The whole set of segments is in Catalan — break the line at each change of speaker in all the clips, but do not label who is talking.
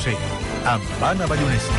José, amb Anna Ballonesta.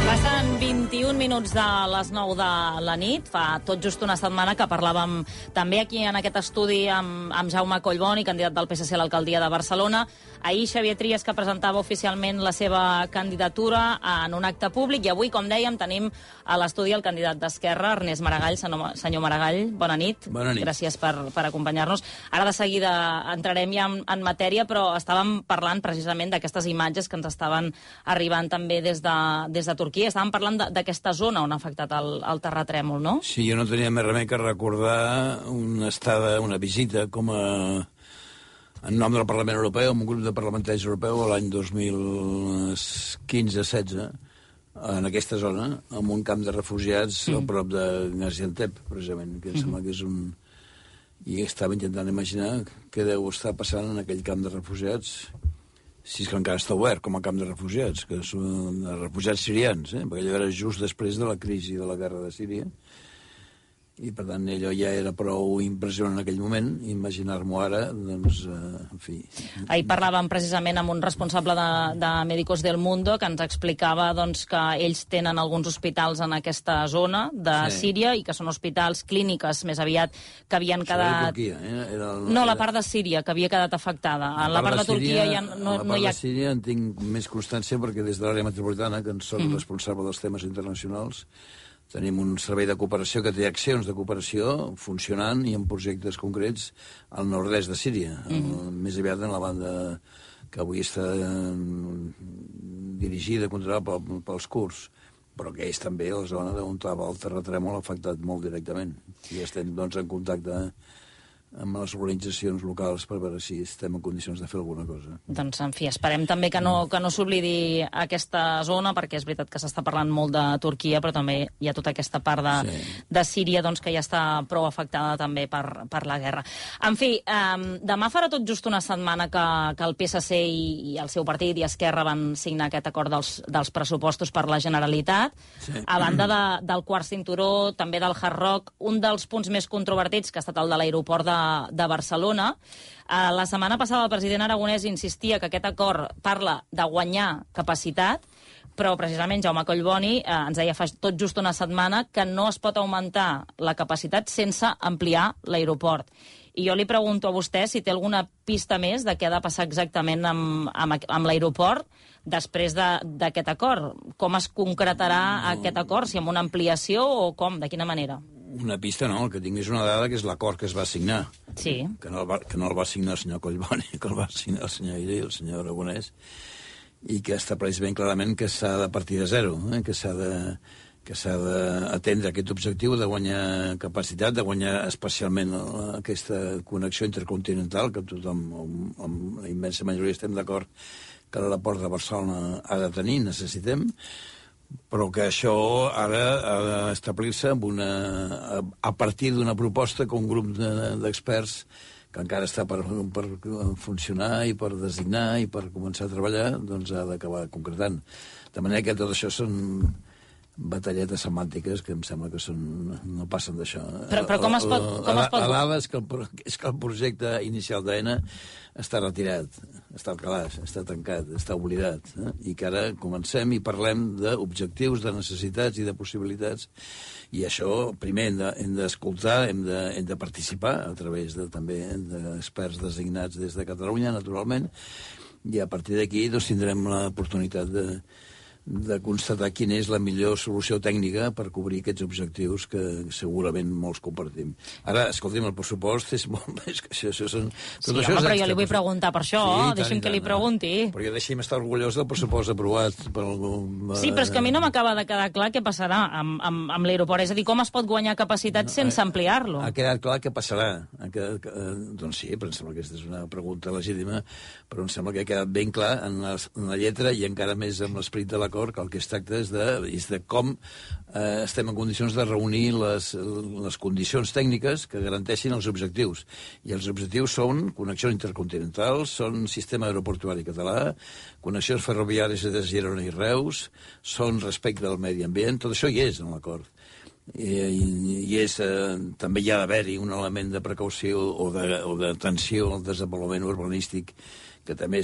Passen 21 minuts de les 9 de la nit. Fa tot just una setmana que parlàvem també aquí en aquest estudi amb Jaume Collboni, candidat del PSC a l'alcaldia de Barcelona. Ahir Xavier Trias, que presentava oficialment la seva candidatura en un acte públic, i avui, com dèiem, tenim a l'estudi el candidat d'Esquerra, Ernest Maragall. Senyor Maragall, bona nit.
Bona nit.
Gràcies per acompanyar-nos. Ara de seguida entrarem ja en matèria, però estàvem parlant precisament d'aquestes imatges que ens estaven arribant també des de Turquia. Estàvem parlant d'aquesta zona on ha afectat el terratrèmol, no?
Sí, jo no tenia més remei que recordar una visita com en nom del Parlament Europeu, amb un grup de parlamentaris europeu l'any 2015-16, en aquesta zona, en un camp de refugiats a prop de Gaziantep, precisament, que em sembla que és un... I estava intentant imaginar què deu estar passant en aquell camp de refugiats, si és que encara està obert com a camp de refugiats, que són refugiats sirians, perquè allò era just després de la crisi de la guerra de Síria, i per tant allò ja era prou impressionant en aquell moment. Imaginar-m'ho ara, doncs, en fi...
Ahir parlàvem precisament amb un responsable de Médicos del Mundo que ens explicava doncs, que ells tenen alguns hospitals en aquesta zona de Síria i que són hospitals clíniques més aviat que havien quedat... No, la part de Síria, que havia quedat afectada. En la part de Turquia ja no hi ha...
La part de Síria en tinc més constància perquè des de l'àrea metropolitana, que en soc responsable dels temes internacionals, tenim un servei de cooperació que té accions de cooperació funcionant i en projectes concrets al nord-est de Síria, més aviat en la banda que avui està dirigida, controlada pels kurds, però que és també la zona on el terratrèmol ha afectat molt directament. I estem doncs, en contacte amb les organitzacions locals per veure si estem en condicions de fer alguna cosa.
Doncs, en fi, esperem també que no s'oblidi aquesta zona, perquè és veritat que s'està parlant molt de Turquia, però també hi ha tota aquesta part de Síria doncs, que ja està prou afectada també per la guerra. En fi, demà farà tot just una setmana que el PSC i el seu partit i Esquerra van signar aquest acord dels pressupostos per la Generalitat. A banda del quart cinturó, també del Hard Rock, un dels punts més controvertits, que ha estat el de l'aeroport de Barcelona. La setmana passada el president Aragonès insistia que aquest acord parla de guanyar capacitat, però precisament Jaume Collboni ens deia fa tot just una setmana que no es pot augmentar la capacitat sense ampliar l'aeroport. I jo li pregunto a vostè si té alguna pista més de què ha de passar exactament amb l'aeroport després d'aquest acord. Com es concretarà aquest acord? Si amb una ampliació o com? De quina manera?
Una pista no, el que tinc és una dada que és l'acord que es va signar.
Sí.
Que no el va signar el senyor Collboni, que el va signar el senyor Illa i el senyor Aragonès, i que estableix ben clarament que s'ha de partir de zero, que s'ha d'atendre aquest objectiu de guanyar capacitat, de guanyar especialment aquesta connexió intercontinental, que tothom, amb la immensa majoria estem d'acord que l'aeroport de Barcelona ha de tenir, necessitem, però que això ara ha d'establir-se a partir d'una proposta que un grup d'experts que encara està per funcionar i per designar i per començar a treballar, doncs ha d'acabar concretant. De manera que tot això són batalletes semàntiques que em sembla que no passen d'això.
Però com es pot...
L'AVA és que el projecte inicial d'AENA està retirat, està al calaix, està tancat, està oblidat, i que ara comencem i parlem d'objectius, de necessitats i de possibilitats, i això primer hem d'escoltar, hem de participar a través també d'experts designats des de Catalunya, naturalment, i a partir d'aquí tindrem l'oportunitat de constatar quina és la millor solució tècnica per cobrir aquests objectius que segurament molts compartim. Ara, escolti'm, el pressupost és molt més que això.
Però jo li vull preguntar per això, deixi'm que li pregunti.
Però jo deixi'm estar orgullós del pressupost aprovat per algú...
Sí, però és que a mi no m'acaba de quedar clar què passarà amb l'aeroport. És a dir, com es pot guanyar capacitat sense ampliar-lo?
Ha quedat clar què passarà. Doncs sí, però em sembla que aquesta és una pregunta legítima, però em sembla que ha quedat ben clar en la lletra i encara més amb l'esperit de l'acord, que el que es tracta és de com estem en condicions de reunir les condicions tècniques que garanteixin els objectius. I els objectius són connexions intercontinentals, són sistema aeroportuari català, connexions ferroviàries de Girona i Reus, són respecte al medi ambient, tot això hi és en l'acord. i també hi ha d'haver-hi un element de precaució o d'atenció al desenvolupament urbanístic que també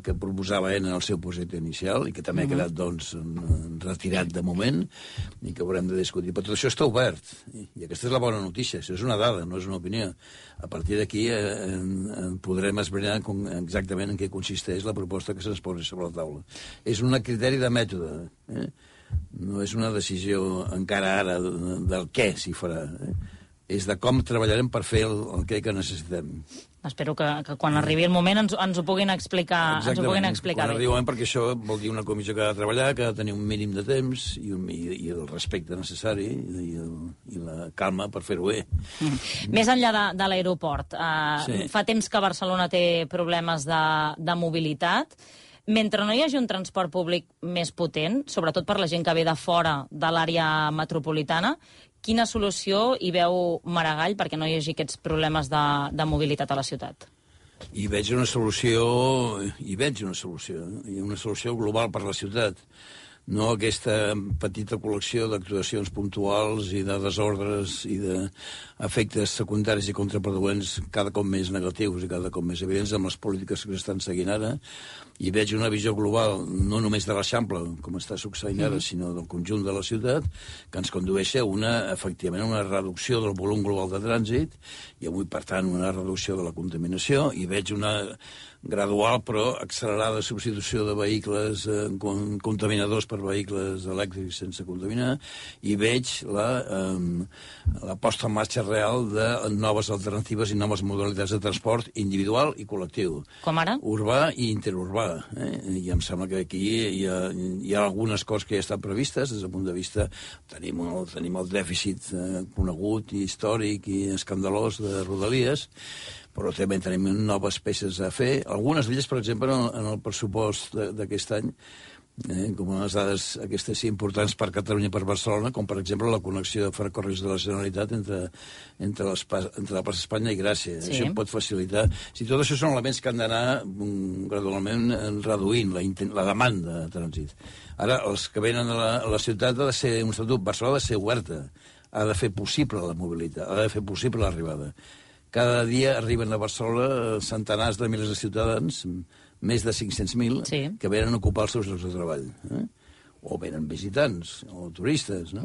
que proposava en el seu projecte inicial i que també ha quedat, doncs, retirat de moment i que haurem de discutir. Però tot això està obert i aquesta és la bona notícia. Això és una dada, no és una opinió. A partir d'aquí podrem esbrinar exactament en què consisteix la proposta que se'ns posi sobre la taula. És un criteri de mètode, no és una decisió encara ara del què s'hi farà, és de com treballarem per fer el que necessitem.
Espero que quan arribi el moment ens ho puguin explicar,
quan arribi el moment, perquè això vol dir una comissió que ha de treballar, que ha de tenir un mínim de temps i el respecte necessari i la calma per fer-ho bé.
Més enllà de l'aeroport, fa temps que Barcelona té problemes de mobilitat. Mentre no hi hagi un transport públic més potent, sobretot per la gent que ve de fora de l'àrea metropolitana, quina solució hi veu Maragall perquè no hi hagi aquests problemes de mobilitat a la ciutat?
Hi veig una solució global per la ciutat. No aquesta petita col·lecció d'actuacions puntuals i de desordres i d'efectes secundaris i contraproduents cada cop més negatius i cada cop més evidents amb les polítiques que s'estan seguint ara. I veig una visió global, no només de l'Eixample, com està succeint ara, sinó del conjunt de la ciutat, que ens condueix a efectivament, una reducció del volum global de trànsit i avui, per tant, una reducció de la contaminació, i veig una gradual però accelerada substitució de vehicles contaminadors per vehicles elèctrics sense contaminar, i veig la posta en marxa real de noves alternatives i noves modalitats de transport individual i col·lectiu.
Com ara?
Urbà i interurbà. I em sembla que aquí hi ha algunes coses que ja estan previstes des del punt de vista... Tenim el dèficit conegut i històric i escandalós de Rodalies, però també tenim noves peces a fer. Algunes d'elles, per exemple, en el pressupost d'aquest any, com les dades aquestes importants per Catalunya i per Barcelona, com per exemple la connexió de ferrocarrils de la Generalitat entre la plaça Espanya i Gràcia. Sí. Això pot facilitar... Tot això són elements que han d'anar gradualment reduint la demanda de trànsit. Ara, els que venen a la ciutat ha de ser un estatut. Barcelona ha de ser oberta, ha de fer possible la mobilitat, ha de fer possible l'arribada. Cada dia arriben a Barcelona centenars de milers de ciutadans, més de 500.000, sí, que venen a ocupar els seus llocs de treball. O venen visitants, o turistes, no?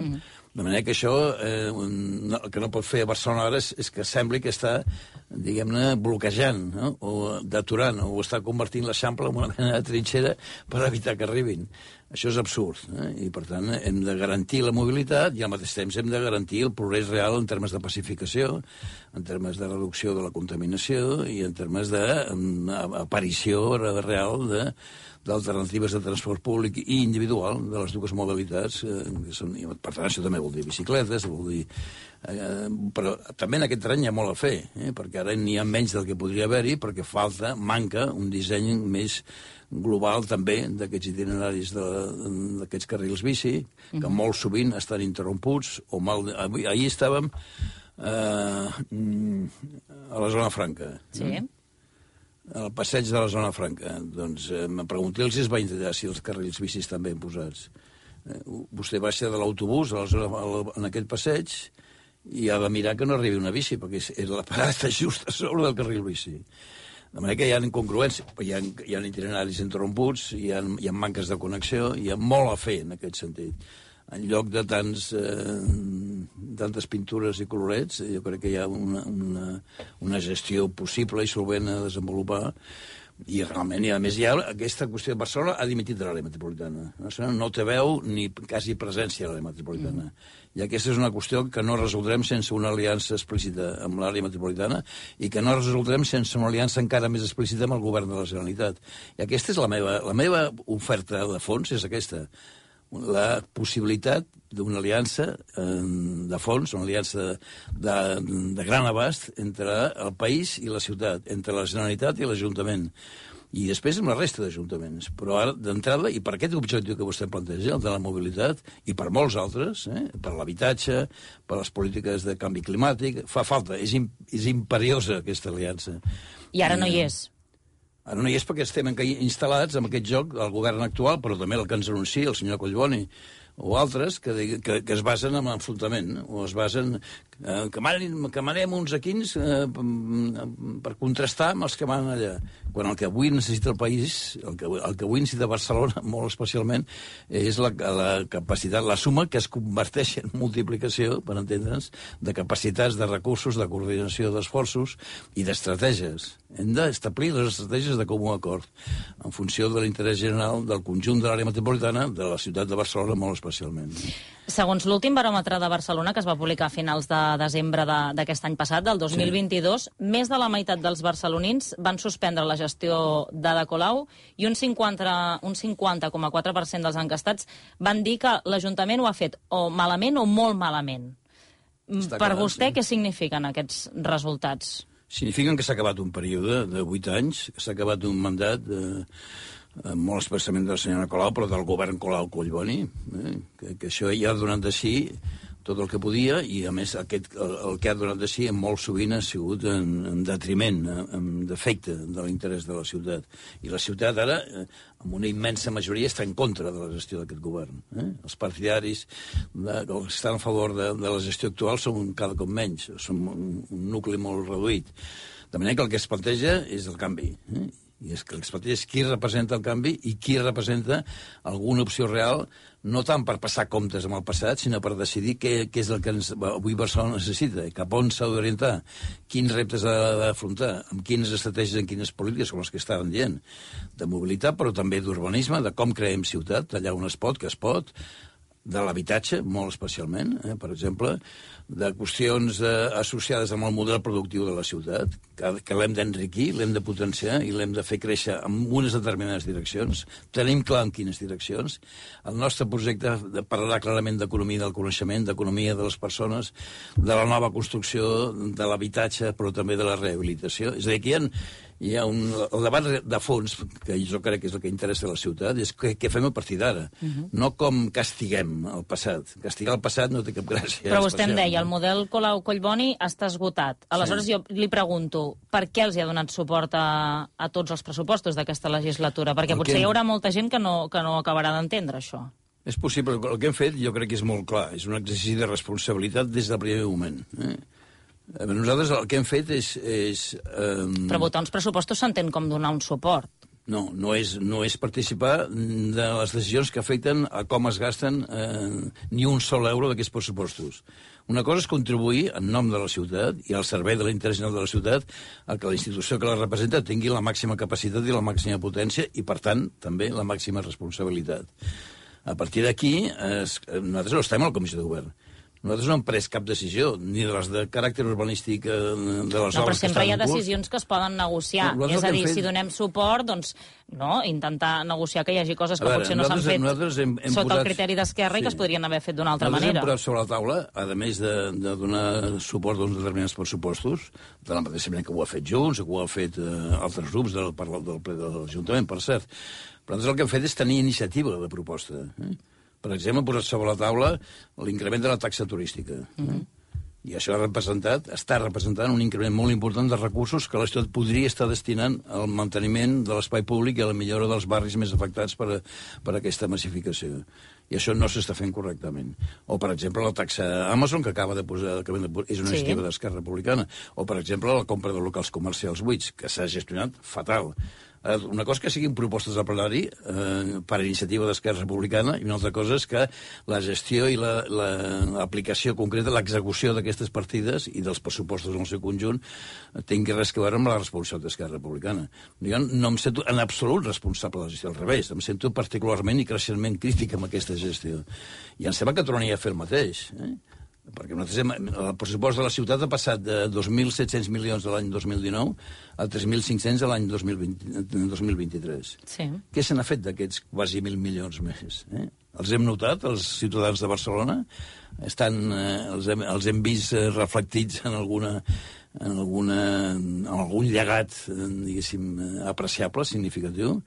De manera que això, el que no pot fer a Barcelona ara és que sembli que està, diguem-ne, bloquejant, no? O deturant, o està convertint l'Eixample en una mena de trinxera per evitar que arribin. Això és absurd, i per tant hem de garantir la mobilitat i al mateix temps hem de garantir el progrés real en termes de pacificació, en termes de reducció de la contaminació i en termes d'aparició real d'alternatives de transport públic i individual de les dues modalitats, que són, per tant això també vol dir bicicletes, vol dir... però també en aquest terreny hi ha molt a fer, perquè ara n'hi ha menys del que podria haver-hi, perquè manca un disseny més global també d'aquests itineraris d'aquests carrils bici, que molt sovint estan interromputs o mal... Ahir estàvem a la zona franca.
Sí.
Al passeig de la zona franca. Doncs me pregunté si es va intentar si els carrils bici estan ben posats. Vostè baixa de l'autobús en aquest passeig i ha de mirar que no arribi una bici, perquè la parada està just a sobre del carril bici. De manera que hi ha incongruències, hi ha itineraris interromputs, hi ha manques de connexió, hi ha molt a fer en aquest sentit. En lloc de tantes pintures i colorets, jo crec que hi ha una gestió possible i solvent a desenvolupar, i realment, i a més hi ha aquesta qüestió de Barcelona ha dimitit de l'àrea metropolitana. No té veu ni quasi presència a l'àrea metropolitana. I aquesta és una qüestió que no resoldrem sense una aliança explícita amb l'àrea metropolitana i que no resoldrem sense una aliança encara més explícita amb el govern de la Generalitat. I aquesta és la meva oferta de fons, és aquesta. La possibilitat d'una aliança de fons, una aliança de gran abast entre el país i la ciutat, entre la Generalitat i l'Ajuntament, i després amb la resta d'ajuntaments. Però ara, d'entrada, i per aquest objectiu que vostè planteja, el de la mobilitat, i per molts altres, per l'habitatge, per les polítiques de canvi climàtic, fa falta, és imperiosa aquesta aliança.
I ara no hi és.
Ara no hi és perquè estem instal·lats en aquest joc, el govern actual, però també el que ens anuncia el senyor Collboni, o altres que es basen en l'enfrontament, o es basen que manem uns equins per contrastar amb els que manen allà. Quan el que avui necessita el país, el que avui necessita Barcelona, molt especialment, és la capacitat, la suma que es converteix en multiplicació, per entendre'ns, de capacitats, de recursos, de coordinació d'esforços i d'estratègies. Hem d'establir les estratègies de comú acord en funció de l'interès general del conjunt de l'àrea metropolitana, de la ciutat de Barcelona molt especialment.
Segons l'últim baròmetre de Barcelona, que es va publicar a finals de desembre d'aquest any passat, del 2022, més de la meitat dels barcelonins van suspendre la gestió d'Ada Colau i un 50,4% dels enquestats van dir que l'Ajuntament ho ha fet o malament o molt malament. Per vostè, què signifiquen aquests resultats?
Signifiquen que s'ha acabat un període de 8 anys, que s'ha acabat un mandat molt expressament de la senyora Colau, però del govern Colau-Collboni, que això ja ha donat de si tot el que podia, i a més el que ha donat de si molt sovint ha sigut en detriment, en defecte de l'interès de la ciutat. I la ciutat ara, amb una immensa majoria, està en contra de la gestió d'aquest govern. Els partidaris que estan a favor de la gestió actual són cada cop menys, són un nucli molt reduït. De manera que el que es planteja és el canvi, i és que el que es planteja és qui representa el canvi i qui representa alguna opció real, no tant per passar comptes amb el passat, sinó per decidir què és el que avui Barcelona necessita, cap on s'ha d'orientar, quins reptes ha d'afrontar, amb quines estratègies, amb quines polítiques, com les que estaven dient, de mobilitat, però també d'urbanisme, de com creem ciutat, allà on es pot, que es pot, de l'habitatge, molt especialment, per exemple, de qüestions associades amb el model productiu de la ciutat, que l'hem d'enriquir, l'hem de potenciar i l'hem de fer créixer en unes determinades direccions. Tenim clar en quines direccions. El nostre projecte parlarà clarament d'economia del coneixement, d'economia de les persones, de la nova construcció, de l'habitatge, però també de la rehabilitació. És a dir, que hi ha el debat de fons, que jo crec que és el que interessa a la ciutat, és què fem a partir d'ara. No com castiguem el passat. Castigar el passat no té cap gràcia.
Però vostè em deia, el model Colau-Collboni està esgotat. Aleshores jo li pregunto, per què els hi ha donat suport a tots els pressupostos d'aquesta legislatura? Perquè potser hi haurà molta gent que no acabarà d'entendre això.
És possible. El que hem fet jo crec que és molt clar. És un exercici de responsabilitat des del primer moment. Nosaltres el que hem fet és
Però votar uns pressupostos s'entén com donar un suport.
No és participar de les decisions que afecten a com es gasten ni un sol euro d'aquests pressupostos. Una cosa és contribuir en nom de la ciutat i al servei de l'interès general de la ciutat a que la institució que la representa tingui la màxima capacitat i la màxima potència i, per tant, també la màxima responsabilitat. A partir d'aquí, nosaltres no estem a la Comissió de Govern. Nosaltres no hem pres cap decisió, ni de les de caràcter urbanístic de les obres que estan en curs.
No, però sempre hi ha decisions que es poden negociar. És a dir, si donem suport, doncs, no, intentar negociar que hi hagi coses que potser no s'han fet sota el criteri d'Esquerra i que es podrien haver fet d'una altra manera.
Nosaltres hem posat sobre la taula, a més de donar suport a uns determinats pressupostos, de la mateixa manera que ho ha fet Junts, que ho ha fet altres grups del ple de l'Ajuntament, per cert. Però nosaltres el que hem fet és tenir iniciativa de proposta. Per exemple, hem posat sobre la taula l'increment de la taxa turística. I això està representant un increment molt important de recursos que la ciutat podria estar destinant al manteniment de l'espai públic i a la millora dels barris més afectats per aquesta massificació. I això no s'està fent correctament. O, per exemple, la taxa Amazon, que acaba de posar, és una iniciativa d'Esquerra Republicana. O, per exemple, la compra de locals comercials buits, que s'ha gestionat fatal. Una cosa que siguin propostes al plenari per iniciativa d'Esquerra Republicana i una altra cosa és que la gestió i l'aplicació concreta, l'execució d'aquestes partides i dels pressupostos en el seu conjunt tingui res a veure amb la responsabilitat d'Esquerra Republicana. Jo no em sento en absolut responsable de la gestió, al revés, em sento particularment i creixentment crític amb aquesta gestió. I em sembla que tornaria a fer el mateix, perquè el pressupost de la ciutat ha passat de 2.700 milions de l'any 2019 a 3.500 de l'any 2023.
Sí.
Què se n'ha fet d'aquests quasi 1.000 milions més? Els hem notat, els ciutadans de Barcelona? Els hem vist reflectits en algun llegat, diguéssim, apreciable, significatiu?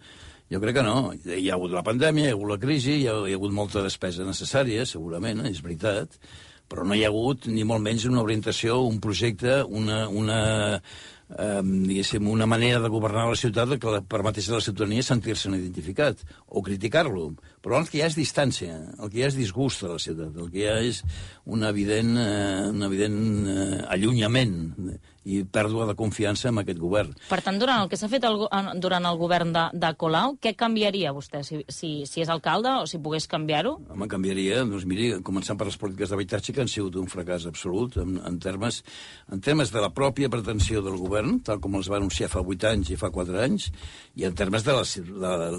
Jo crec que no. Hi ha hagut la pandèmia, hi ha hagut la crisi, hi ha hagut molta despesa necessària, segurament, és veritat, però no hi ha hagut ni molt menys una orientació, un projecte, diguéssim, una manera de governar la ciutat que permetés a la ciutadania sentir-se'n identificat o criticar-lo. Però el que hi ha és distància, el que hi ha és disgust a la ciutat, el que hi ha és un evident allunyament i pèrdua de confiança en aquest govern.
Per tant, durant el que s'ha fet durant el govern de Colau, què canviaria vostè si és alcalde o si pogués canviar-ho?
Home, canviaria, doncs miri, començant per les polítiques d'habitatge, que han sigut un fracàs absolut en termes de la pròpia pretensió del govern, tal com els va anunciar fa 8 anys i fa 4 anys, i en termes de la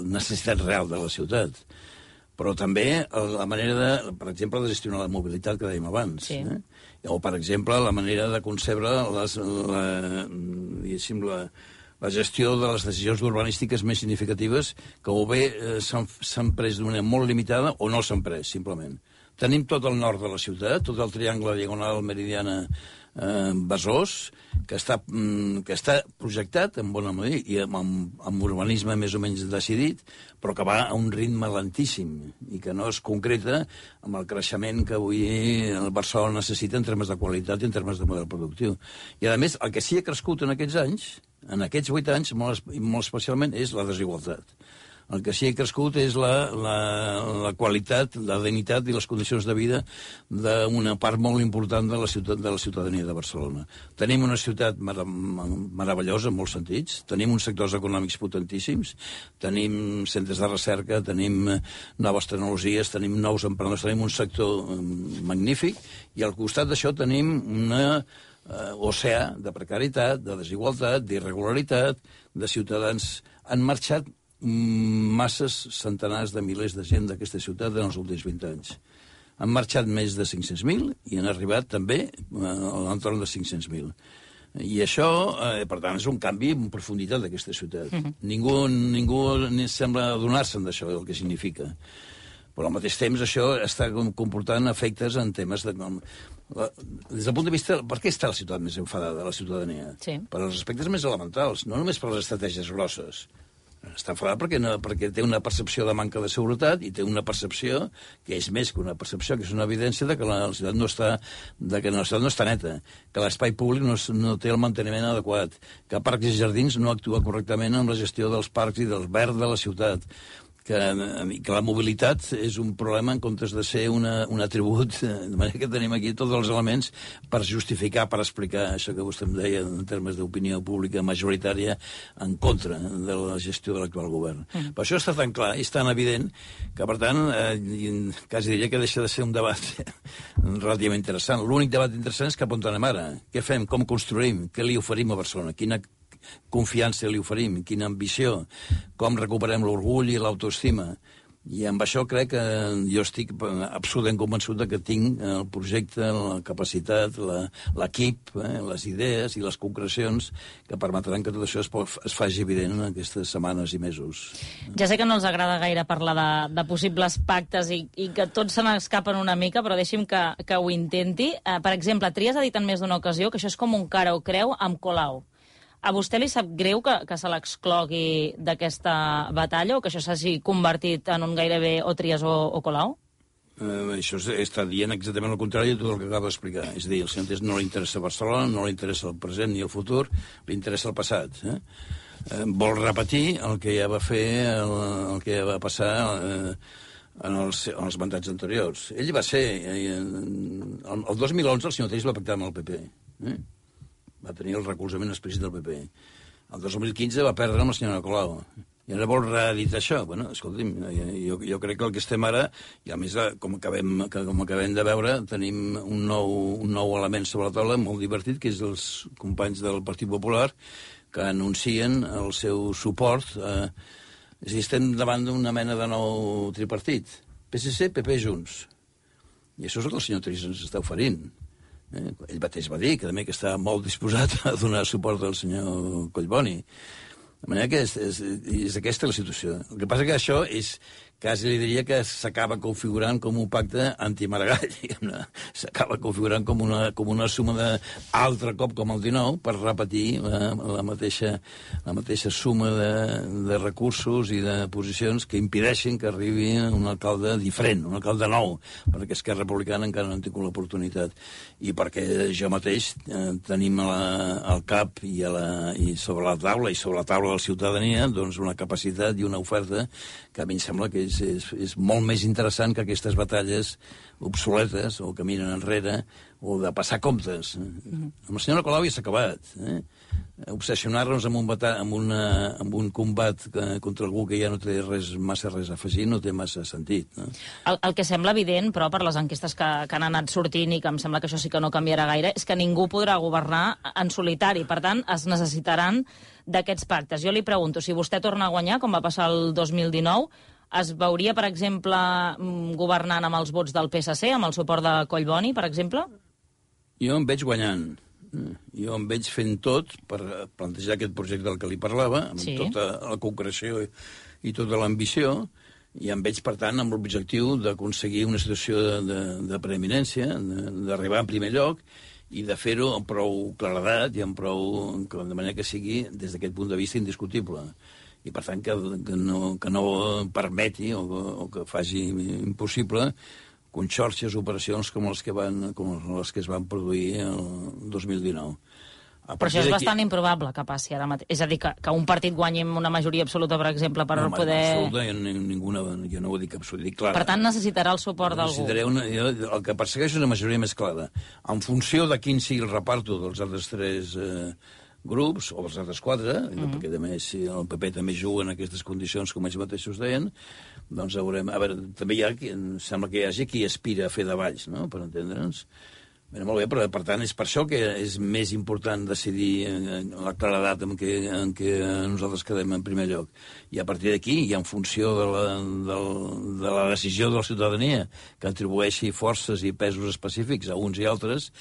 necessitat real de la ciutat. Però també la manera, per exemple, de gestionar la mobilitat que dèiem abans.
Sí.
O, per exemple, la manera de concebre la gestió de les decisions urbanístiques més significatives que o bé s'han pres d'una manera molt limitada o no s'han pres, simplement. Tenim tot el nord de la ciutat, tot el triangle diagonal meridiana Besòs, que està projectat en bona manera i amb urbanisme més o menys decidit, però que va a un ritme lentíssim i que no es concreta amb el creixement que avui el Barcelona necessita en termes de qualitat i en termes de model productiu. I, a més, el que sí ha crescut en aquests anys, en aquests 8 anys, molt especialment, és la desigualtat. El que sí ha crescut és la qualitat, la dignitat i les condicions de vida d'una part molt important de la ciutadania de Barcelona. Tenim una ciutat meravellosa en molts sentits, tenim uns sectors econòmics potentíssims, tenim centres de recerca, tenim noves tecnologies, tenim nous emprenedors, tenim un sector magnífic, i al costat d'això tenim una oceà de precarietat, de desigualtat, d'irregularitat, de ciutadans. Han marxat masses, centenars de milers de gent d'aquesta ciutat en els últims 20 anys. Han marxat més de 500.000 i han arribat també a l'entorn de 500.000. I això, per tant, és un canvi en profunditat d'aquesta ciutat. Ningú sembla adonar-se'n d'això, del que significa. Però al mateix temps això està comportant efectes en temes de... Des del punt de vista... Per què està la ciutat més enfadada, la ciutadania?
Sí.
Per als aspectes més elementals, no només per les estratègies grosses. Està enfadat perquè té una percepció de manca de seguretat i té una percepció que és més que una percepció, que és una evidència de que la ciutat no està neta, que l'espai públic no té el manteniment adequat, que Parcs i Jardins no actua correctament en la gestió dels parcs i del verd de la ciutat, que la mobilitat és un problema en comptes de ser un atribut, de manera que tenim aquí tots els elements per justificar, per explicar això que vostè em deia en termes d'opinió pública majoritària en contra de la gestió de l'actual govern. Per això està tan clar i és tan evident que, per tant, quasi diria que deixa de ser un debat relativament interessant. L'únic debat interessant és cap on anem ara. Què fem? Com construïm? Què li oferim a Barcelona? Quina confiança li oferim, quina ambició, com recuperem l'orgull i l'autoestima. I amb això crec que jo estic absolutament convençut que tinc el projecte, la capacitat, l'equip, les idees i les concrecions que permetran que tot això es faci evident en aquestes setmanes i mesos.
Ja sé que no els agrada gaire parlar de possibles pactes i que tots se n'escapen una mica, però deixi'm que ho intenti. Per exemple, Trias ha dit en més d'una ocasió que això és com un cara o creu amb Colau. A vostè li sap greu que se l'exclogui d'aquesta batalla o que això s'hagi convertit en un gairebé o Trias o Colau?
Això està dient exactament el contrari de tot el que acabo d'explicar. És a dir, al senyor Trias no li interessa Barcelona, no li interessa el present ni el futur, li interessa el passat. Vol repetir el que ja va fer, el que ja va passar en els mandats anteriors. Ell va ser... El 2011 el senyor Trias va pactar amb el PP. Va tenir el recolzament explícit del PP. El 2015 va perdre amb la senyora Colau. I ara vol reeditar això. Bueno, escolti'm, jo crec que el que estem ara, i a més, com acabem de veure, tenim un nou element sobre la taula molt divertit, que és els companys del Partit Popular que anuncien el seu suport. És a dir, estem davant d'una mena de nou tripartit. PSC, PP, Junts. I això és el que el senyor Trias ens està oferint. Ell mateix va dir que també que està molt disposat a donar suport al senyor Collboni. De manera que és aquesta la situació. El que passa que això és quasi li diria que s'acaba configurant com un pacte anti-Maragall. S'acaba configurant com una suma d'altre cop com el 19 per repetir la mateixa suma de recursos i de posicions que impedeixen que arribi un alcalde diferent, un alcalde nou, perquè Esquerra Republicana encara no han tingut l'oportunitat. I perquè jo mateix tenim al cap i sobre la taula de la ciutadania doncs una capacitat i una oferta que a mi em sembla que és molt més interessant que aquestes batalles obsoletes o que miren enrere o de passar comptes. Amb la senyora Colau ja s'ha acabat. Obsessionar-nos amb un combat contra algú que ja no té massa res a afegir no té massa sentit. No?
El que sembla evident, però, per les enquestes que han anat sortint i que em sembla que això sí que no canviarà gaire, és que ningú podrà governar en solitari. Per tant, es necessitaran d'aquests pactes. Jo li pregunto, si vostè torna a guanyar, com va passar el 2019, es veuria, per exemple, governant amb els vots del PSC, amb el suport de Collboni, per exemple?
Jo em veig guanyant. Jo em veig fent tot per plantejar aquest projecte del que li parlava, amb tota la concreció i tota l'ambició, i em veig, per tant, amb l'objectiu d'aconseguir una situació de preeminència, d'arribar en primer lloc, i de fer-ho amb prou claredat i de manera que sigui, des d'aquest punt de vista, indiscutible. I, per tant, que no permeti o que faci impossible conxorxes, operacions com les que es van produir el 2019.
Però això és bastant improbable que passi ara mateix. És a dir, que un partit guanyi amb una majoria absoluta, per exemple, per poder...
Absoluta, jo no ho dic absoluta, dic clara.
Per tant, necessitarà el suport d'algú.
El que persegueix és una majoria més clara. En funció de quin sigui el reparto dels altres 3 grups, o dels altres 4, perquè també si el PP també juga en aquestes condicions, com ells mateixos deien, doncs veurem... A veure, també sembla que hi hagi qui aspira a fer de Valls, no?, per entendre'ns. Molt bé, però per tant és per això que és més important decidir la claredat en què nosaltres quedem en primer lloc. I a partir d'aquí, i en funció de la decisió de la ciutadania, que atribueixi forces i pesos específics a uns i altres,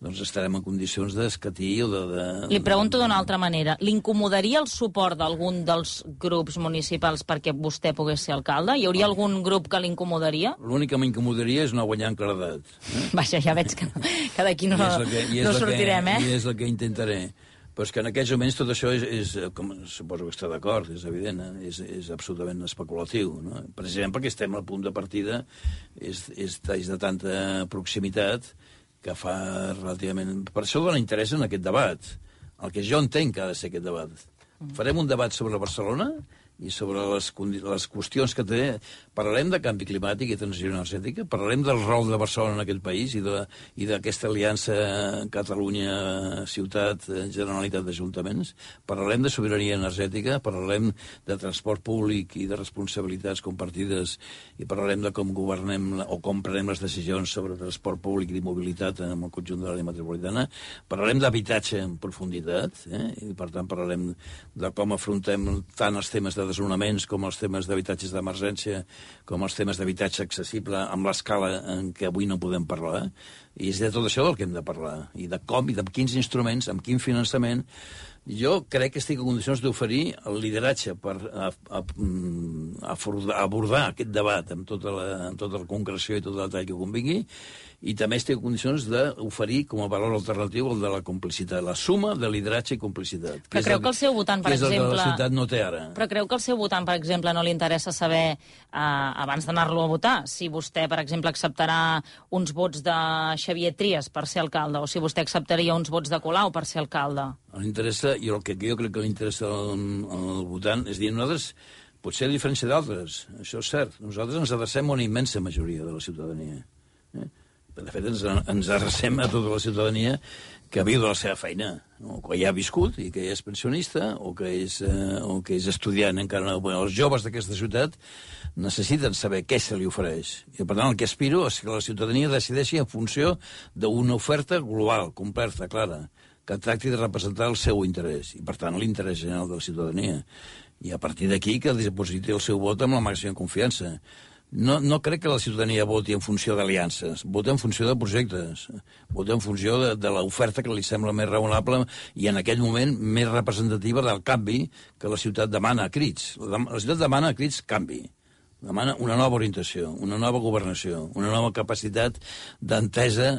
doncs estarem en condicions d'escatir o de...
Li pregunto d'una altra manera. L'incomodaria el suport d'algun dels grups municipals perquè vostè pogués ser alcalde? Hi hauria algun grup que l'incomodaria?
L'únic que m'incomodaria és no guanyar en claredat.
Vaja, ja veig que d'aquí no sortirem,
I és el que intentaré. Però és que en aquests moments tot això és com suposo que està d'acord, és evident, és absolutament especulatiu, no? Precisament perquè estem al punt de partida, és de tanta proximitat que fa relativament... Per això dona interès en aquest debat. El que jo entenc que ha de ser aquest debat. Farem un debat sobre Barcelona i sobre les qüestions que té. Parlarem de canvi climàtic i transició energètica, parlarem del rol de Barcelona en aquest país i d'aquesta aliança Catalunya-Ciutat, Generalitat d'Ajuntaments, parlarem de sobirania energètica, parlarem de transport públic i de responsabilitats compartides i parlarem de com governem o com prenem les decisions sobre transport públic i mobilitat en el conjunt de l'àrea metropolitana, parlarem d'habitatge en profunditat, i per tant parlarem de com afrontem tant els temes de desnonaments com els temes d'habitatges d'emergència, com els temes d'habitatge accessible amb l'escala en què avui no podem parlar. I és de tot això del que hem de parlar. I de com, i de quins instruments, amb quin finançament. Jo crec que estic en condicions d'oferir el lideratge per abordar aquest debat amb tota la concreció i tot el detall que convingui, i també estic en condicions d'oferir com a valor alternatiu el de la complicitat, la suma de lideratge i complicitat.
Però creu que el seu votant, per exemple...
Que és el que la ciutat no té ara.
Però creu que el seu votant, per exemple, no li interessa saber, abans d'anar-lo a votar, si vostè, per exemple, acceptarà uns vots de Xavier Trias per ser alcalde, o si vostè acceptaria uns vots de Colau per ser alcalde?
L'interessa, i el que jo crec que li interessa al votant, és dir, nosaltres, potser a diferència d'altres, això és cert, nosaltres ens adrecem a una immensa majoria de la ciutadania. De fet, ens adrecem a tota la ciutadania que viu de la seva feina, o que ja ha viscut i que ja és pensionista, o que és estudiant encara. Els joves d'aquesta ciutat necessiten saber què se li ofereix. I, per tant, el que aspiro és que la ciutadania decideixi en funció d'una oferta global, completa, clara, que tracti de representar el seu interès, i, per tant, l'interès general de la ciutadania. I a partir d'aquí que dipositi el seu vot amb la màxima confiança. No crec que la ciutadania voti en funció d'aliances, vota en funció de projectes, vota en funció de l'oferta que li sembla més raonable i en aquell moment més representativa del canvi que la ciutat demana a crits. La ciutat demana a crits canvi. demana una nova orientació, una nova governació, una nova capacitat d'entesa,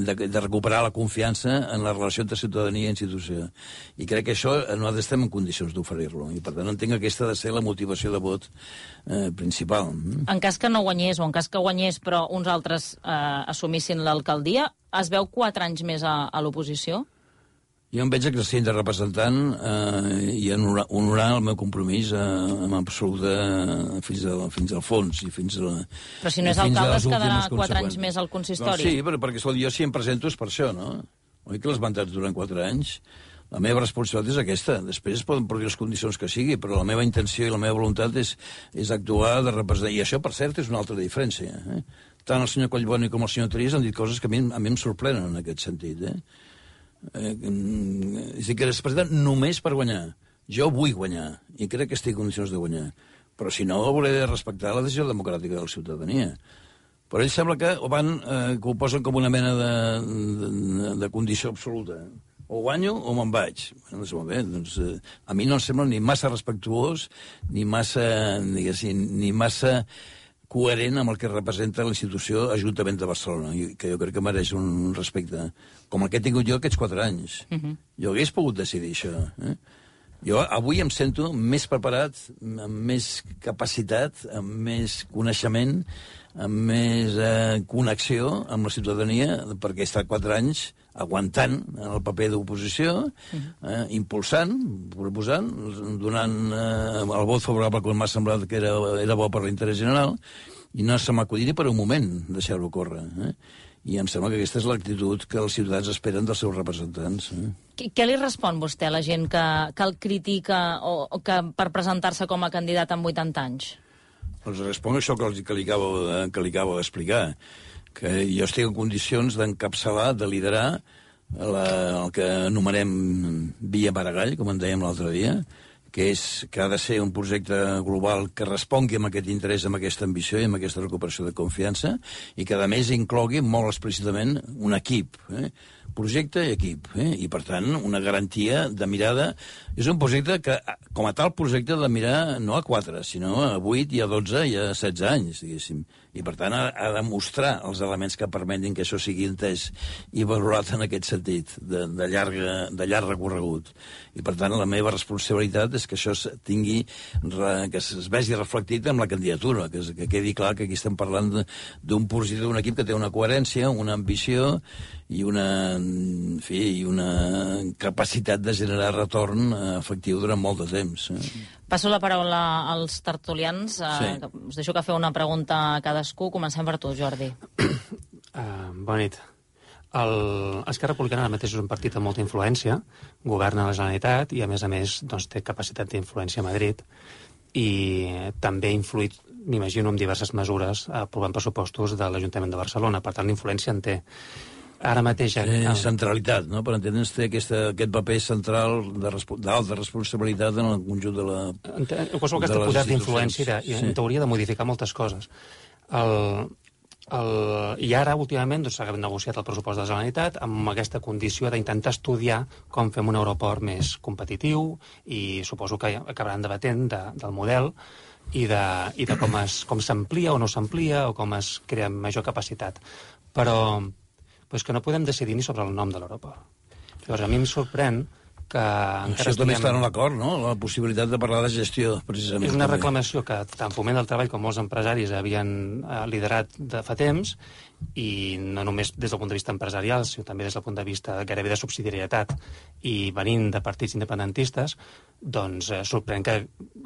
de recuperar la confiança en la relació entre ciutadania i institució. I crec que això nosaltres estem en condicions d'oferir-lo, i per tant entenc que aquesta ha de ser la motivació de vot principal.
En cas que no guanyés, o en cas que guanyés però uns altres assumissin l'alcaldia, es veu 4 anys més a l'oposició?
Jo em veig exercint de representant i honorar el meu compromís amb absoluta fins al fons i fins a...
Però si no és alcalde es quedarà 4 anys més al consistori.
No, sí, perquè jo si em presento és per això, no? Oi que les mandats duren 4 anys? La meva responsabilitat és aquesta. Després poden produir les condicions que sigui, però la meva intenció i la meva voluntat és actuar de representar. I això, per cert, és una altra diferència. Tant el senyor Collboni com el senyor Trias han dit coses que a mi em sorprenen en aquest sentit, és a dir, que es presenten només per guanyar. Jo vull guanyar, i crec que estic en condicions de guanyar. Però si no, hauré de respectar la decisió democràtica de la ciutadania. Però ells sembla que ho posen com una mena de condició absoluta. O guanyo o me'n vaig. Doncs molt bé, doncs, a mi no em sembla ni massa respectuós, ni massa, ni massa coherent amb el que representa la institució Ajuntament de Barcelona, que jo crec que mereix un respecte, com el que he tingut jo aquests 4 anys. Jo hagués pogut decidir això. Jo avui em sento més preparat, amb més capacitat, amb més coneixement, amb més connexió amb la ciutadania, perquè he estat 4 anys aguantant en el paper d'oposició, impulsant, proposant, donant el vot favorable quan m'ha semblat que era bo per l'interès general, i no se m'acudí ni per un moment deixar-ho córrer. I em sembla que aquesta és l'actitud que els ciutadans esperen dels seus representants.
Què li respon vostè a la gent que el critica o que per presentar-se com a candidat amb 80 anys?
Doncs responc això que li acabo d'explicar, que jo estic en condicions d'encapçalar, de liderar el que anomenem Via Maragall, com en dèiem l'altre dia, que ha de ser un projecte global que respongui amb aquest interès, amb aquesta ambició i amb aquesta recuperació de confiança, i que, a més, inclogui molt explícitament un equip, projecte i equip, i, per tant, una garantia de mirada. És un projecte que, com a tal projecte, ha de mirar no a 4, sinó a 8 i a 12 i a 16 anys, diguéssim. I, per tant, ha de mostrar els elements que permetin que això sigui entès i valorat en aquest sentit, de llarg recorregut. I, per tant, la meva responsabilitat és que això que es vegi reflectit en la candidatura, que quedi clar que aquí estem parlant d'un projecte, d'un equip que té una coherència, una ambició i una capacitat de generar retorn efectiu durant molt de temps.
Passo la paraula als tertulians. Us deixo que feu una pregunta a cadascú. Comencem per tu, Jordi.
Bona nit. Esquerra Republicana ara mateix és un partit amb molta influència, governa la Generalitat i, a més, doncs, té capacitat d'influència a Madrid i també ha influït, m'imagino, amb diverses mesures aprovant pressupostos de l'Ajuntament de Barcelona. Per tant, l'influència en té. Ara mateix...
Centralitat, no? Per entendre'ns, té aquest paper central d'alta responsabilitat en el conjunt de la...
En qualsevol cas, té poder d'influència i en teoria de modificar moltes coses. I ara, últimament, s'ha negociat el pressupost de la Generalitat amb aquesta condició d'intentar estudiar com fem un aeroport més competitiu i suposo que acabaran debatent del model i de com s'amplia o no s'amplia o com es crea major capacitat. Però és que no podem decidir ni sobre el nom de l'aeroport. Llavors, a mi em sorprèn que...
Això també està en l'acord, no? La possibilitat de parlar de gestió, precisament.
És una reclamació que tant Foment del Treball com molts empresaris havien liderat de fa temps, i no només des del punt de vista empresarial, sinó també des del punt de vista gairebé de subsidiarietat, i venint de partits independentistes, doncs sorprèn que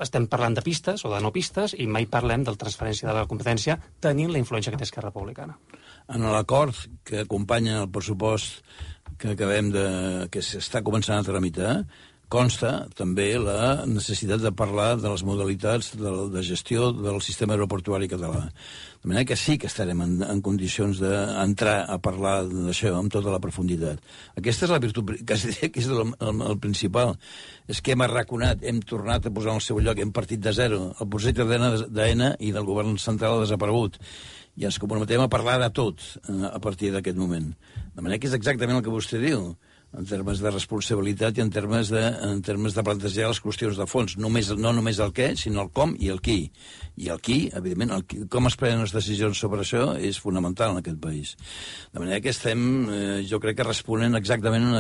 estem parlant de pistes o de no pistes i mai parlem de la transferència de la competència tenint la influència que té Esquerra Republicana.
En l'acord que acompanya el pressupost que s'està començant a tramitar, consta també la necessitat de parlar de les modalitats de gestió del sistema aeroportuari català. De manera que sí que estarem en condicions d'entrar a parlar d'això amb tota la profunditat. Aquesta és la virtut, quasi diria que és el principal. És que hem arraconat, hem tornat a posar en el seu lloc, hem partit de zero. El projecte d'AENA i del govern central ha desaparegut. I ens comprometem a parlar de tot a partir d'aquest moment. De manera que és exactament el que vostè diu. en termes de responsabilitat i en termes de plantejar les qüestions de fons. No només el què, sinó el com i el qui. I el qui, evidentment, com es prenen les decisions sobre això és fonamental en aquest país. De manera que estem, jo crec que responen exactament en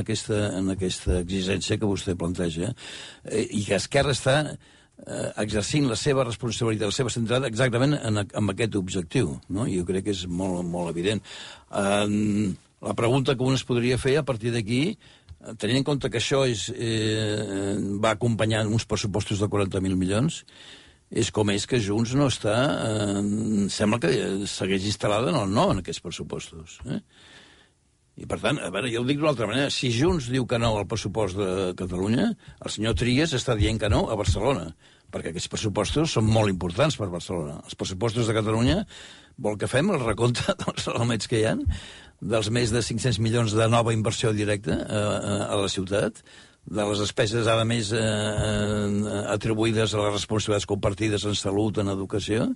aquesta exigència que vostè planteja, i que Esquerra està exercint la seva responsabilitat, la seva centrada exactament en aquest objectiu, no? Jo crec que és molt, molt evident. La pregunta que un es podria fer a partir d'aquí, tenint en compte que això va acompanyant uns pressupostos de 40.000 milions, és com és que Junts no està... sembla que segueix instal·lada en el no en aquests pressupostos. I, per tant, a veure, jo ho dic d'una altra manera. Si Junts diu que no al pressupost de Catalunya, el senyor Trias està dient que no a Barcelona, perquè aquests pressupostos són molt importants per Barcelona. Els pressupostos de Catalunya, vol que fem el recompte dels elements que hi ha, dels més de 500 milions de nova inversió directa a la ciutat, de les despeses, a més, atribuïdes a les responsabilitats compartides en salut, en educació,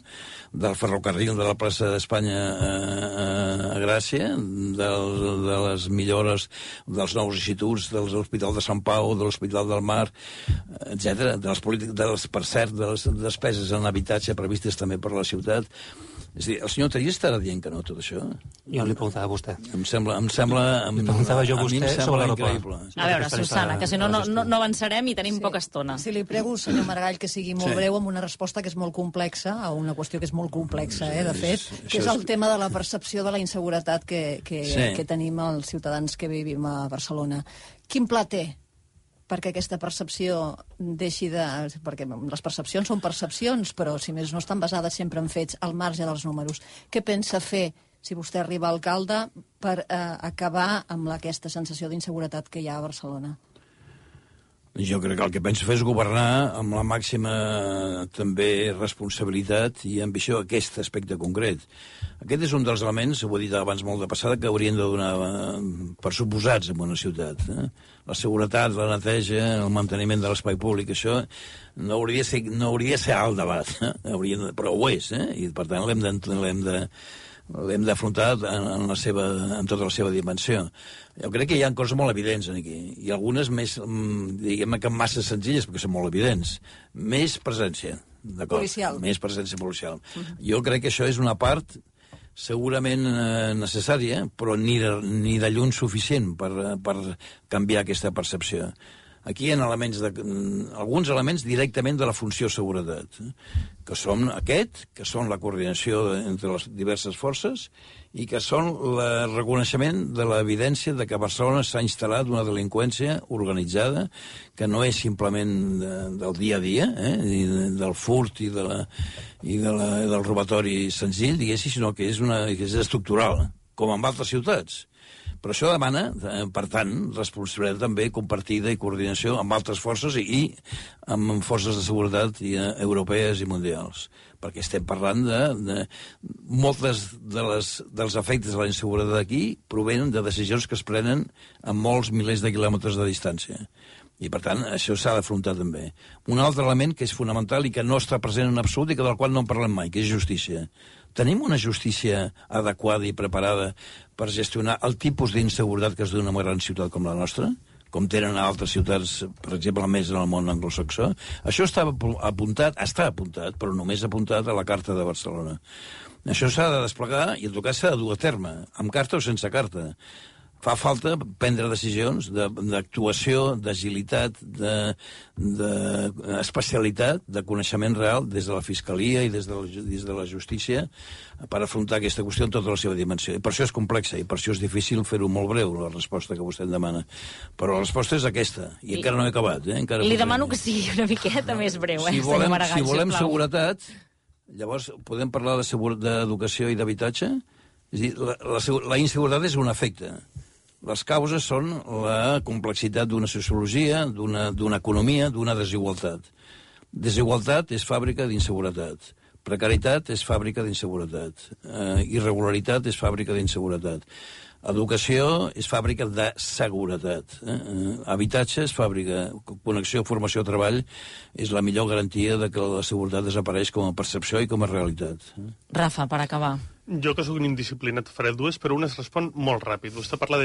del ferrocarril de la plaça d'Espanya a Gràcia, de les millores dels nous instituts, de l'Hospital de Sant Pau, de l'Hospital del Mar, etc. Per cert, de les despeses en habitatge previstes també per la ciutat. És a dir, el senyor Trias estarà dient que no, tot això?
Jo li preguntava a vostè.
Em sembla
li preguntava jo a vostè sobre
increïble.
A veure, Susana, que si no avançarem i tenim poca estona.
Si li prego, senyor Maragall, que sigui molt breu amb una resposta que és molt complexa, a una qüestió que és molt complexa, de fet, que és el tema de la percepció de la inseguretat que tenim els ciutadans que vivim a Barcelona. Quin pla té perquè aquesta percepció deixi de... Perquè les percepcions són percepcions, però si més no estan basades sempre en fets al marge dels números. Què pensa fer, si vostè arriba a alcalde, per acabar amb aquesta sensació d'inseguretat que hi ha a Barcelona?
Jo crec que el que penso fer és governar amb la màxima també responsabilitat i ambició aquest aspecte concret. Aquest és un dels elements, ho he dit abans molt de passada, que haurien de donar per suposats en una ciutat. La seguretat, la neteja, el manteniment de l'espai públic, això no hauria de ser alt debat, però ho és, i per tant l'hem d'afrontar en tota la seva dimensió. Jo crec que hi ha coses molt evidents aquí, i algunes més, diguem que massa senzilles, perquè són molt evidents. Més presència, d'acord?
Policial.
Més presència policial. Jo crec que això és una part segurament necessària, però ni de lluny suficient per canviar aquesta percepció. Aquí hi ha alguns elements directament de la funció seguretat, que són que són la coordinació entre les diverses forces i que són el reconeixement de l'evidència de que a Barcelona s'ha instal·lat una delinqüència organitzada que no és simplement del dia a dia, del furt i del robatori senzill, diguéssim, sinó que és estructural, com en altres ciutats. Però això demana, per tant, responsabilitat també compartida i coordinació amb altres forces i amb forces de seguretat europees i mundials. Perquè estem parlant de moltes dels efectes de la inseguretat aquí provenen de decisions que es prenen a molts milers de quilòmetres de distància. I, per tant, això s'ha d'afrontar també. Un altre element que és fonamental i que no està present en absolut i del qual no en parlem mai, que és justícia. Tenim una justícia adequada i preparada per gestionar el tipus d'inseguretat que es dona en una gran ciutat com la nostra, com tenen a altres ciutats, per exemple, més en el món anglosaxó? Això està apuntat, però només apuntat a la Carta de Barcelona. Això s'ha de desplegar i, en tot cas, s'ha de dur a terme, amb carta o sense carta. Fa falta prendre decisions d'actuació, d'agilitat, d'especialitat, de coneixement real des de la Fiscalia i des de la justícia per afrontar aquesta qüestió en tota la seva dimensió. I per això és complexa i per això és difícil fer-ho molt breu, la resposta que vostè em demana. Però la resposta és aquesta, i encara no he acabat.
Li demano que sigui una miqueta més breu, senyor Maragall,
si volem seguretat, llavors podem parlar d'educació i d'habitatge? És a dir, la inseguretat és un efecte. Les causes són la complexitat d'una sociologia, d'una economia, d'una desigualtat. Desigualtat és fàbrica d'inseguretat. Precarietat és fàbrica d'inseguretat. Irregularitat és fàbrica d'inseguretat. Educació és fàbrica de seguretat. Habitatge és fàbrica. Connexió, formació, treball és la millor garantia de que la seguretat desapareix com a percepció i com a realitat.
Rafa, per acabar.
Jo, que sóc un indisciplinat, faré dues, però una es respon molt ràpid. Vostè parla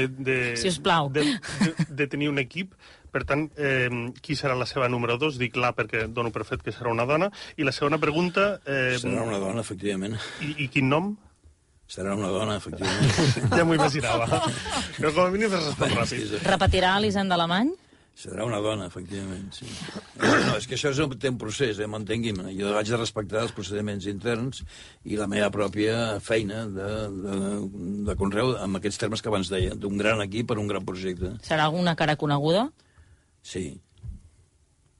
Sisplau.
de tenir un equip, per tant, qui serà la seva número 2? Dic la perquè dono per fet que serà una dona. I la segona pregunta...
Serà una dona, efectivament.
I quin nom?
Serà una dona, efectivament.
Ja m'ho imaginava. Però com a mínim es respon ràpid.
Repetirà l'Hisenda Alemany?
Serà una dona, efectivament, sí. No, és que això té un procés, m'entengui'm. Jo haig de respectar els procediments interns i la meva pròpia feina de conreu amb aquests termes que abans deia, d'un gran equip per un gran projecte.
Serà alguna cara coneguda?
Sí.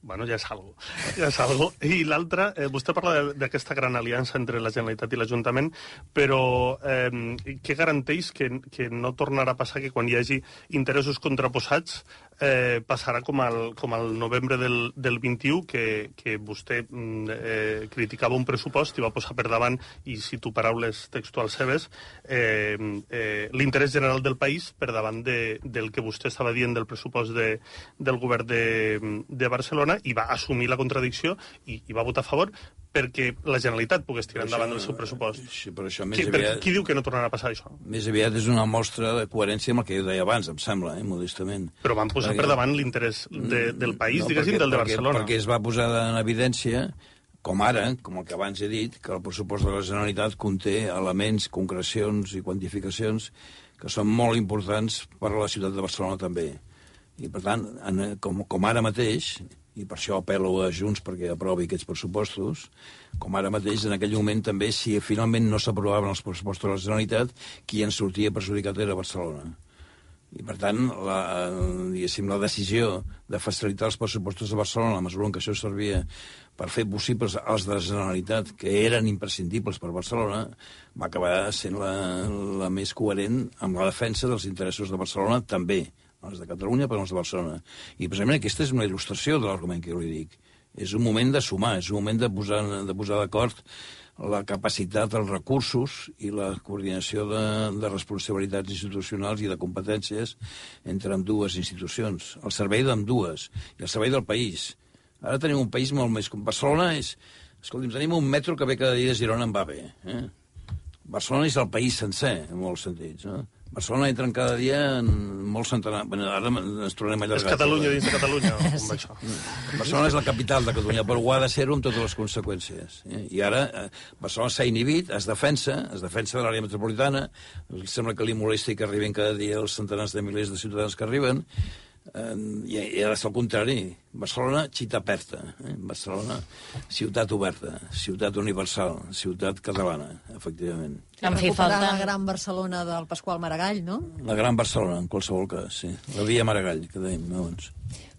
Bueno, ja és algo. Ja és algo. I l'altra, vostè parla d'aquesta gran aliança entre la Generalitat i l'Ajuntament, però què garanteix que no tornarà a passar que quan hi hagi interessos contraposats passarà com al novembre del 21, que vostè criticava un pressupost i va posar per davant, i cito paraules textuals seves, l'interès general del país per davant del que vostè estava dient del pressupost del govern de Barcelona, i va assumir la contradicció i va votar a favor perquè la Generalitat pogués tirar endavant el seu pressupost.
Sí, però això més aviat...
Qui diu que no tornarà a passar això?
Més aviat és una mostra de coherència amb el que jo deia abans, em sembla, modestament.
Però van posar per davant l'interès del país, diguéssim, del de Barcelona.
Perquè es va posar en evidència, com ara, com el que abans he dit, que el pressupost de la Generalitat conté elements, concrecions i quantificacions que són molt importants per a la ciutat de Barcelona també. I, per tant, com ara mateix, i per això apel·lo a Junts perquè aprovi aquests pressupostos, com ara mateix, en aquell moment també, si finalment no s'aprovaven els pressupostos de la Generalitat, qui en sortia perjudicat era Barcelona. I, per tant, la decisió de facilitar els pressupostos de Barcelona, la mesura en què això servia per fer possibles els de la Generalitat, que eren imprescindibles per Barcelona, va acabar sent la més coherent amb la defensa dels interessos de Barcelona també, els de Catalunya per als de Barcelona. I precisament aquesta és una il·lustració de l'argument que jo li dic. És un moment de sumar, és un moment de posar d'acord la capacitat, els recursos i la coordinació de responsabilitats institucionals i de competències entre ambdues institucions. El servei d'ambdues i el servei del país. Ara tenim un país molt més... Barcelona és... Escolti'm, tenim un metro que ve cada dia de Girona en va bé. Barcelona és el país sencer, en molts sentits, no? Barcelona entra cada dia en molts centenars... Bueno, ara ens tornem allargats.
És Catalunya dins de Catalunya, com això.
Barcelona és la capital de Catalunya, però ho ha de ser-ho amb totes les conseqüències. I ara Barcelona s'ha inhibit, es defensa de l'àrea metropolitana, sembla que li molesti que arriben cada dia els centenars de milers de ciutadans que arriben, i ara és el contrari. Barcelona, città aperta. Barcelona, ciutat oberta, ciutat universal, ciutat catalana, efectivament.
Recuperar la gran Barcelona del Pasqual Maragall, no?
La gran Barcelona, en qualsevol cas, sí. La via Maragall, que dèiem abans.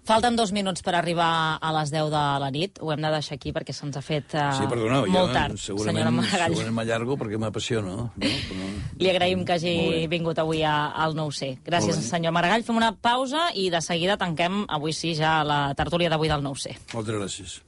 Falten 2 minuts per arribar a les 10 de la nit. Ho hem de deixar aquí perquè se'ns ha fet molt tard, senyora Maragall.
Segurament m'allargo perquè m'apassiono. No? Però...
Li agraïm que hagi vingut avui al 9C. Gràcies, senyor Maragall. Fem una pausa i de seguida tanquem, avui sí, ja la tertúlia d'avui del 9C.
Moltes gràcies.